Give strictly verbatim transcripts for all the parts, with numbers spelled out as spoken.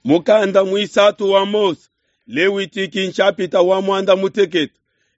Mukanda muisatu wa Mose, Lewitiki nshapita wa muanda mutekete.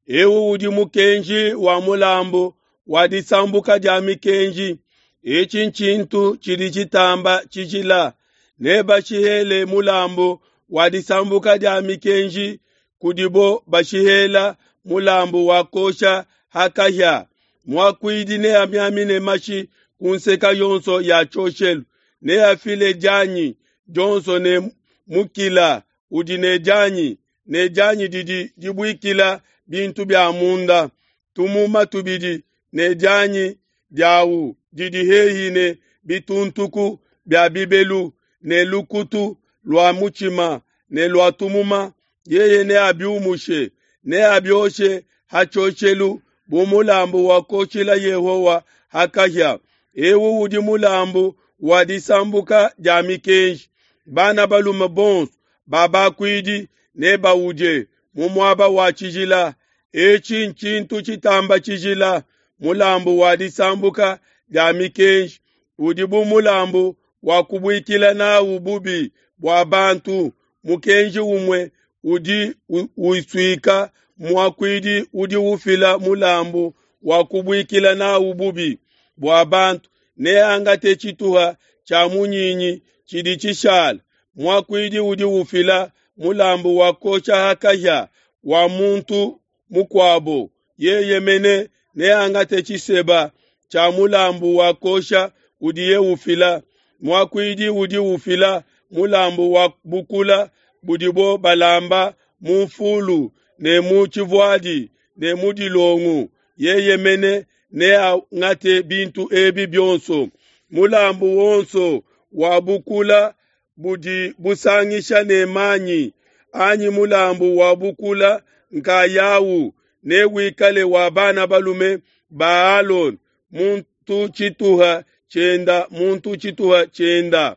Eu udi mukenji wa mulambu wa disambuka dia mikenji. Etshi ntshintu tshidi tshitamba tshijila. Nebashihele mulambu wa disambuka dia mikenji kudibo bashihela mulambu wa kosha ha kahia. Muakuidi neamiamine mashi ku nseke yonso ya tshioshelu, neafile dianyi dionso ne mukila udi ne dianyi, ne dianyi didi dibuikila bintu bia munda, tumuma tubidi ne dianyi diawu didi hehi ne bituntuku bia bibelu, ne lukutu lua mutshima ne lua tumuma, yeye neabiumushe, neabioshe ha tshioshelu bu mulambu wa kuoshila Yehowa ha kahia. Eu udi mulambu wa disambuka dia mikenji. Bana balume bonso ba bakuidi nebaudie mu muaba wa tshijila. Etshi ntshintu tshitamba tshijila, mulambu wa disambuka dia mikenji udi bu mulambu wa kubuikila nawu bubi bua bantu. Mukenji umue udi usuika muakuidi udi ufila mulambu wa kubuikila nawu bubi bua bantu, neangate tshituha tshia munyinyi tshidi tshishala. Muakuidi udi ufila mulambu wa kuosha ha kahia wa muntu mukuabo, yeye mene neangate tshiseba tshia mulambu wa kuosha udiye ufila. Muakuidi udi ufila mulambu wa bukula budibo balamba mu nfulu ne mu tshivuadi ne mu dilongu, yeye mene neangate bintu ebi bionso. Mulambu wonso wa bukula budi busangisha ne manyi, anyi mulambu wa bukula nkayawu, newikale wa bana balume ba Alona, muntu tshituha tshienda muntu tshituha tshienda.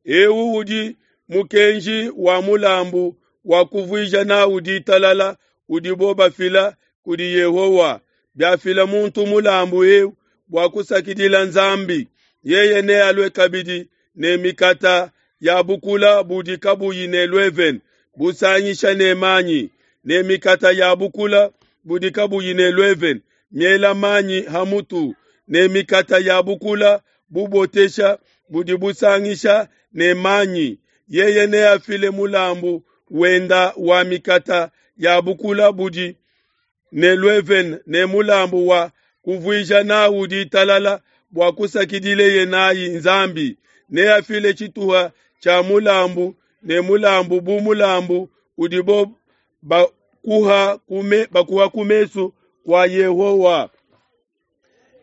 Eu udi mukenji wa mulambu wa kuvuija nawu ditalala udibo bafila kudi Yehowa. Biafila muntu mulambu eu bua kusakidila Nzambi, yeye nealue kabidi ne mikata ya bukula budi kabuyi ne luevene busangisha ne manyi, ne mikata ya bukula budi kabuyi ne luevene miela manyi ha mutu, ne mikata ya bukula bubotesha budi busangisha ne manyi. Yeye neafile mulambu wenda wa mikata ya bukula budi ne luevene ne mulambu wa kuvuija nawu ditalala bua kusakidileye nayi Nzambi. Neafile tshituha tshia mulambu ne mulambu bu mulambu udibo bakuha kume, bakuha ku mesu kua Yehowa.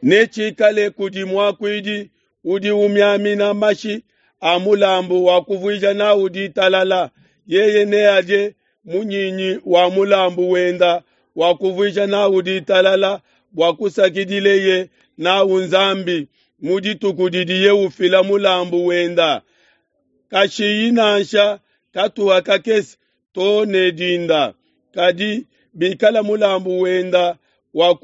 Netshikale kudi muakuidi udi umiamina mashi a mulambu wa kuvuija nawu ditalala. Yeye neadie munyinyi wa mulambu wenda wa kuvuija nawu ditalala bua kusakidileye nawu Nzambi mu dituku didiye ufila mulambu wenda. Kashiyi nansha katuha kakese to ne dinda. Kadi bikala mulambu wenda wa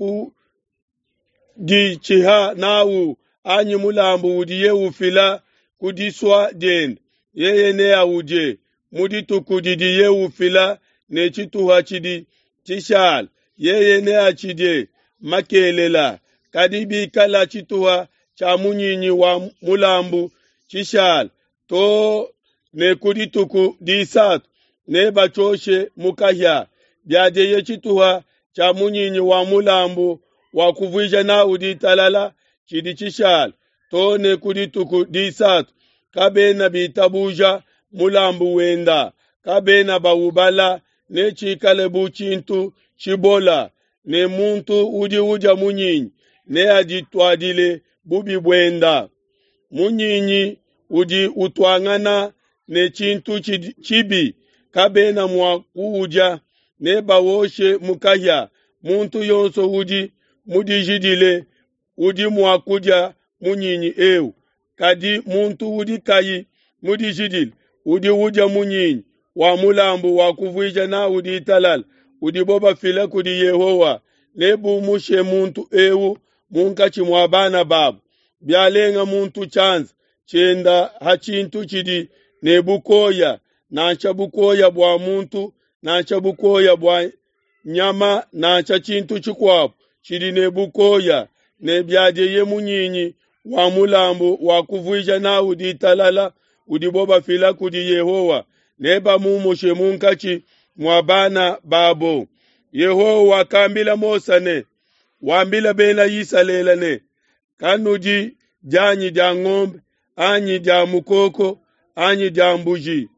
kuditshiha nawu anyi mulambu udiye ufila ku disua diende, yeye neaudie mu dituku didiye ufila ne tshituha tshidi tshishala, yeye neatshidie makelela. Kadi bikala tshituha tshia munyinyi wa mulambu tshishala to ne ku dituku disatu, nebatshioshe mu kahia. Biadieye tshituha tshia munyinyi wa mulambu wa kuvuija nawu ditalala tshidi tshishala to ne ku dituku disatu, kabena bitabuja mulambu wenda, kabena bawubala, netshikale bu tshintu tshibola, ne muntu udi udia munyinyi neadituadile bubi buenda. Munyinyi udi utuangana ne tshintu tshibi, kabena mua kuudia, nebawoshe mu kahia. Muntu yonso udi mudijidile udi mua kudia munyinyi eu, kadi muntu udi kayi mudijidile udi udia munyinyi wa mulambu wa kuvuija nawu ditalala udibo bafila kudi Yehowa, nebumushe muntu eu munkatshi mua bana babo. Bialenga muntu tshianza tshienda ha tshintu tshidi ne bukoya, nansha bukoya bua muntu nansha bukoya bua nyama nansha tshintu tshikuabo tshidi ne bukoya, ne biadieye munyinyi wa mulambu wa kuvuija nawu ditalala udibo bafila kudi Yehowa, nebamumushe munkatshi mua bana babo. Yehowa wakambila Mose ne, wambila Bena Isalele ne, kanudi dianyi dia ngombe anyi dia mukoko anyi dia mbuji,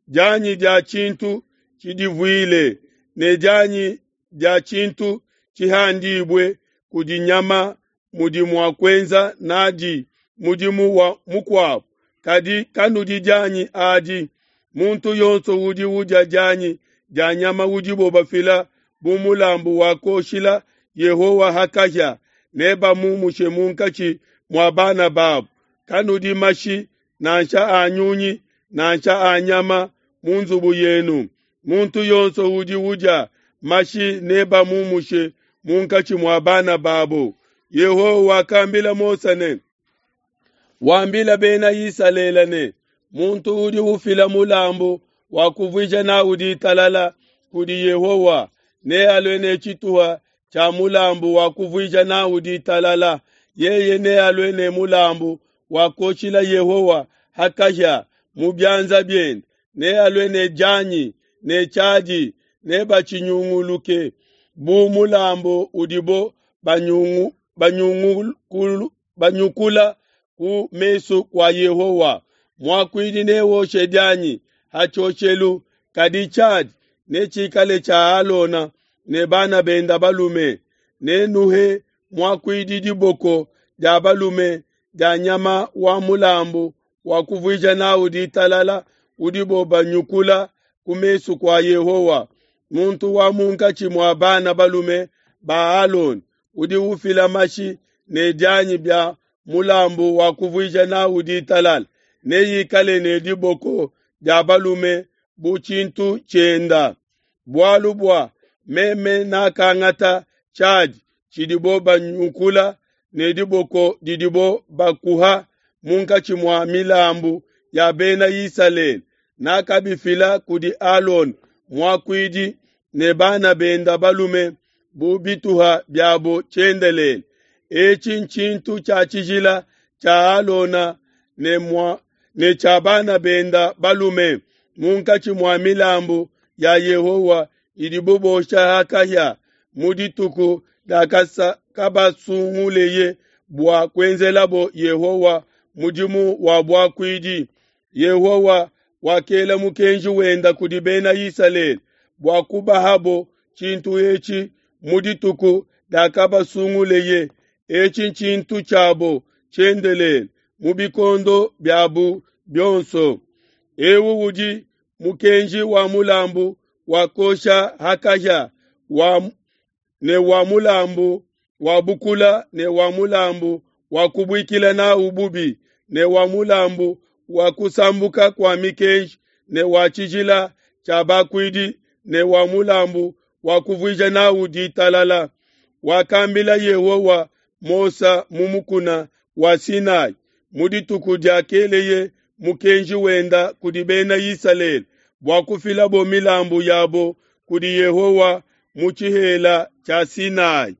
dianyi dia tshintu tshidivuile ne dianyi dia tshintu tshihandibue kudi nyama mudi mua kuenza nadi mudimu wa mukuabo, kadi kanudi dianyi adi. Muntu yonso udi udia dianyi dia nyama udibo bafila bu mulambu wa kuoshila Yehowa ha kahia, nebamumushe munkatshi mua bana babo. Kanudi mashi nansha a nyunyi nansha a nyama mu nzubu yenu. Muntu yonso udi udia mashi nebamumushe munkatshi mua bana babo. Yehowa wakambila Mose ne, wambila Bena Isalele ne, muntu udi ufila mulambu wa kuvuija nawu ditalala kudi Yehowa nealue ne tshituha tshia mulambu wa kuvuija nawu ditalala. Yeye nealue ne mulambu wa kuoshila Yehowa ha kahia mu bianza biende, nealue ne dianyi ne tshiadi, nebatshinyunguluke bu mulambu udibo banyungu, banyungukulu, banyukula ku mesu kua Yehowa. Muakuidi newoshe dianyi ha tshioshelu, kadi tshiadi netshikale tshia Alona ne bana bende balume. Nenuhe muakuidi diboko dia balume dia nyama wa mulambu wa kuvuija nawu ditalala udibo banyukula ku mesu kua Yehowa. Muntu wa munkatshi mua bana balume ba Alona udi ufila mashi ne dianyi bia mulambu wa kuvuija nawu ditalala neikale ne diboko dia balume bu tshintu tshienda. Bualu bua meme nakangata tshiadi tshidibo banyukula ne diboko didibo bakuha munkatshi mua milambu ya Bena Isalele, nakabifila kudi Alona muakuidi ne bana bende balume bu bituha biabo tshiendelele. Etshi ntshintu tshia tshijila tshia Alona ne mua ne tshia bana bende balume munkatshi mua milambu ya Yehowa idibo bosha ha kahia mu dituku diakabasunguleye bua kuenzelabo Yehowa mudimu wa buakuidi. Yehowa wakela mukenji wenda kudi Bena Isalele bua kubahabo tshintu etshi mu dituku diakabasunguleye. Etshi ntshintu tshiabo tshiendelele mu bikondo biabu bionso. Ewu udi mukenji wa mulambu wa kuosha ha kahia wa ne wa mulambu wa bukula ne wa mulambu wa kubuikila nawu bubi ne wa mulambu wa kusambuka kua mikenji ne wa tshijila tshia bakuidi ne wa mulambu wa kuvuija nawu ditalala. Wakambila Yehowa Mose mu mukuna wa Sinai mu dituku diakeleye mukenji wenda kudi Bena Isalele bua kufilabo milambu yabo kudi Yehowa mu tshihela tshia Sinai.